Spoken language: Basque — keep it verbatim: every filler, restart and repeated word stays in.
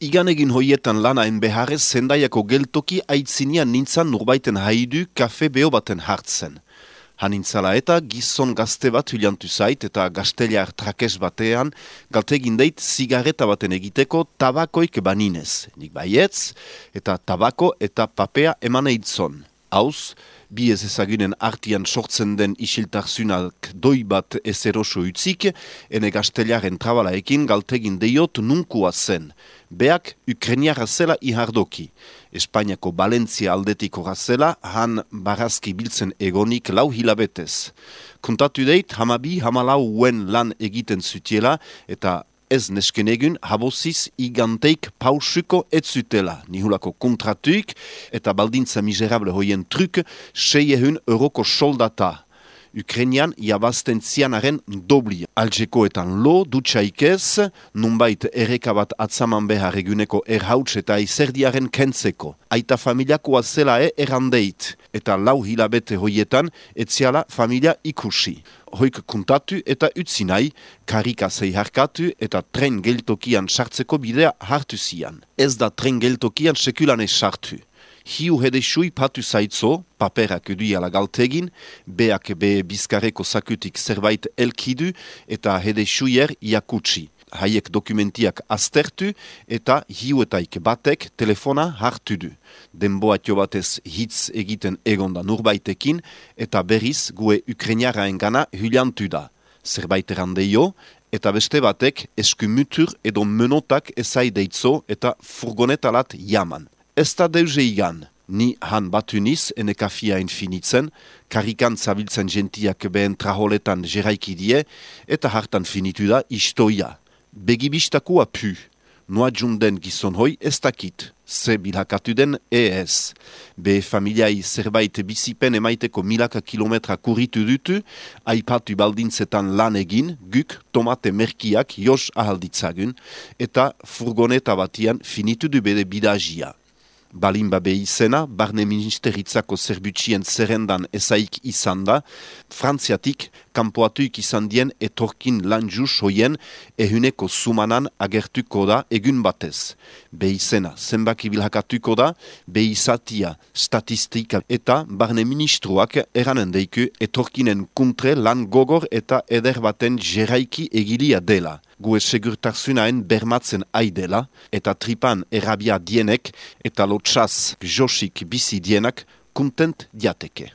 Igan egin hoietan lanaen beharrez Zendaiako geltoki aitzinian nintzan nurbaiten haidu kafe beho baten hartzen. Hanintzala eta gizon gazte bat hilantu zait eta gazteliar trakes batean galtegin deit zigareta baten egiteko tabakoik baninez. Nik baietz eta tabako eta papea eman eitzon. Hauz, bi ez ezagunen artian sortzen den isiltarzunak doi bat ez eroso utzik, ene gazteliaren trabalaekin galtegin deiot nunkua zen. Beak Ukrainiara zela ihardoki. Espainiako Valentzia aldetik horazela, han barazki biltzen egonik lau hilabetez. Kontatu deit, hamabi hamalau uen lan egiten zutiela, eta ez neskenegun haboziz iganteik pausuko ez zutela. Nihulako kontratuik eta baldintza miserable hoien truk seiehun euroko soldata. Ukrainian jabazten zianaren dobli. Aljekoetan lo, dutxaikez, nunbait erreka bat atzaman behar eguneko erhauts eta izerdiaren kentzeko. Aita familiakoa zelae errandeit, eta lau hilabete hoietan etziala familia ikusi. Hoik kontatu eta utzi nahi, karika zeiharkatu eta tren geltokian sartzeko bidea hartu zian. Ez da tren geltokian sekulan ez sartu. Hiu hedesui patu zaitzo, paperak eduiala galtegin, beak be bizkareko sakutik zerbait elkidu eta hedesuier jakutsi. Haiek dokumentiak aztertu eta hiuetaik batek telefona hartu du. Denboatio batez hitz egiten egonda nurbaitekin eta berriz gue Ukrainiaraen gana hyliantu da. Zerbait erandeio eta beste batek eskumutur edo menotak ezai deitzo eta furgonetalat jaman. Ez da deuze igan, ni han batu niz ene kafia infinitzen, karikan zabiltzen gentiak behen traholetan jeraiki die, eta hartan finitu da istoia. Begibistakua pu, noa junden gizon hoi ez dakit, ze bilhakatu den ez. Be familiai zerbait bizipen emaiteko milaka kilometra kuritu dutu, aipatu baldintzetan lan egin, guk tomate merkiak jos ahalditzagun, eta furgoneta batian finitu du bede bidajia. Balinba be izena, barne ministeritzako zerbutsien zerrendan ezaik izan da, Frantziatik kanpoatuik izan dien etorkin lanjus hoien ehuneko sumanan agertuko da egun batez. Be izena zenbaki bilhakatuko da, be izatia statistika eta barne ministruak eranen deiku etorkinen kuntre lan gogor eta eder baten jeraiki egilia dela. Gue segurtarzunaen bermatzen aidela, eta tripan erabia dienek, eta lotxaz josik bizi dienak, kontent diateke.